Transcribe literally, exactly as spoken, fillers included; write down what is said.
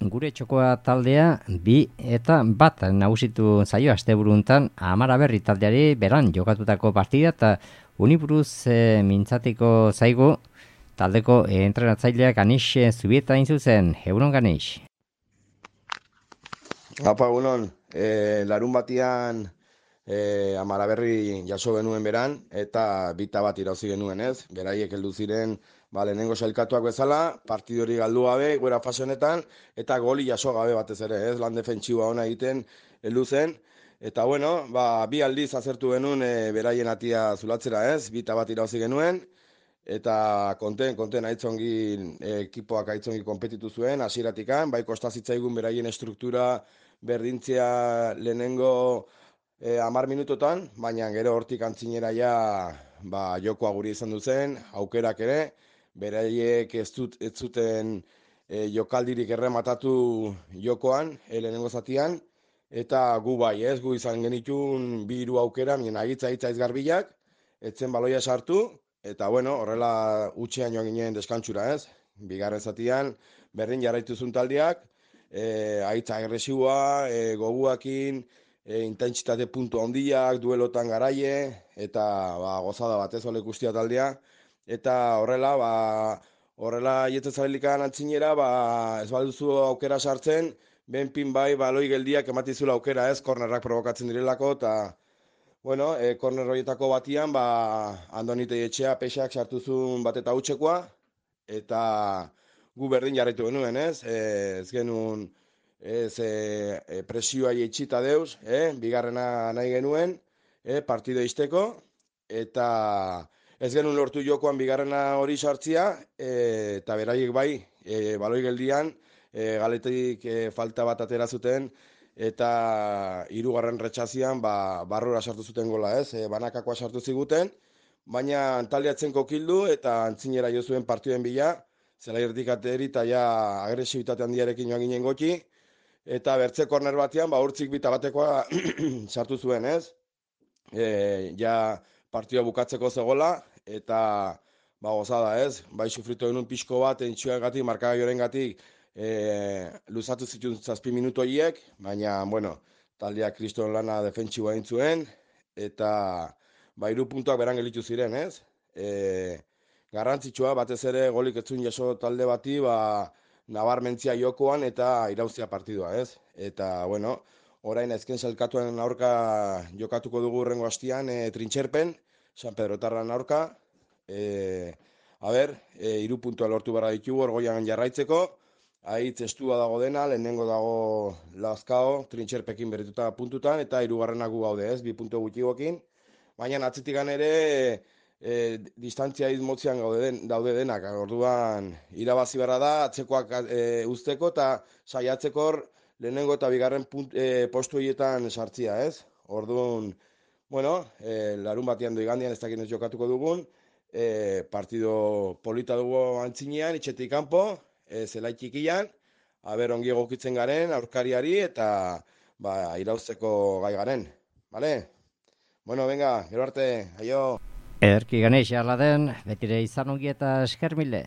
gure txokoa taldea bi eta bat nagusitu zaio asteburuntan Amara Berri taldeari beran jokatutako partida eta uniburuz e, mintzatiko zaigu taldeko e, entrenatzaileak Ganix Zubieta hain zuzen. Egunon Ganix. Apa, egunon, e, larun batian e, Amara Berri jaso genuen beran, eta bita bat irauzi genuen ez, beraiek heldu ziren ba, lehenengo sailkatuak bezala, partidu hori galdu gabe, goera fase honetan, eta goli jaso gabe batez ere, ez, lan defentsiboa ona egiten heldu zen, eta bueno, ba, bi aldiz azertu genuen e, beraien atia zulatzera ez, bita bat irauzi genuen, eta konten, konten aitzongi e, ekipoak aitzongi konpetitu zuen, hasieratikan, bai kostazitzaigun beraien estruktura berdintzea lehenengo e, amar minutotan, baina gero hortik antzinera ja ba, jokoa guri izan duzen, aukerak ere, beraiek ez, dut, ez zuten e, jokaldirik errematatu jokoan, e, lehenengo zatian, eta gu bai ez, gu izan genitun bi hiru aukera, mien agitza hitza izgarbilak, etzen baloia sartu, eta bueno, horrela utxean joan ginen deskantsura ez, bigarren zatian, berdin jarraituzun taldeak, E, aitza agresiboa, e, goguakin, e, intentsitate puntu handiak, duelotan garaie, eta ba, gozada batez ole guztia taldea. Eta horrela, ba, horrela jetzen zabelikan antzinera, ba, ez balduzu aukera sartzen, benpin bai baloi geldiak ematizula aukera ez, kornerrak provokatzen direlako, eta bueno, e, korner horietako batian, ba, Andonite etxea pexak sartuzun bat eta hutsekoa, eta gu berdin jarraitu genuen, ez? E, ez genuen ez, e, e, presioa eitxita deuz, e, bigarrena nahi genuen, e, partido izteko, eta ez genuen lortu jokoan bigarrena hori sartzia, e, eta beraiek bai, e, baloi geldian, e, galetik e, falta bat atera zuten, eta hirugarren retxazian ba, barrura sartu zuten gola, ez? E, banakakoa sartu ziguten, baina taldeatzen kokildu eta antzinera jo zuen partiduen bila, zela irtikateri eta ja agresibitate handiarekin joan ginen goti, eta bertze korner batean, ba, urtzik bita batekoa sartu zuen, ez? E, ja partioa bukatzeko zegola, eta ba, gozada, ez? Bai sufritu genuen pixko bat, entxuagatik, markagaioren gatik, e, luzatu zituen zazpi minutu horiek, baina, bueno, taldea kriston lana defentsiboa egin zuen, eta ba, hiru puntuak beran gelitu ziren, ez? E, garrantzitsua, batez ere golik etzun jaso talde bati, ba, nabarmentzia jokoan eta irauzia partidua, ez? Eta, bueno, orain ezken zelkatuen aurka jokatuko dugu urrengo hastian, e, trintxerpen, San Pedro Tarran aurka, e, a ber, e, iru puntua lortu barra ditugu, orgoian jarraitzeko, aitz estua dago dena, lehenengo dago Lazkao, trintxerpekin berrituta puntutan, eta hirugarrenak gu gaude, ez? Bi puntu gutxigokin, baina atzetik ere, E, distantzia izmotzean gaude den, daude denak, orduan irabazi beharra da, atzekoak e, usteko eta saiatzeko lehenengo eta bigarren punt, e, postu horietan sartzia, ez? Orduan, bueno, e, larun batean doigandian ez dakin ez jokatuko dugun, e, partido polita dugu antzinean, itxetik kanpo, e, zelai txikian, aber ongi egokitzen garen, aurkariari eta ba, irauzteko gai garen, bale? Bueno, venga, gero arte, aio! Ederki Ganix jarla den, betire izan ongi eta esker mile.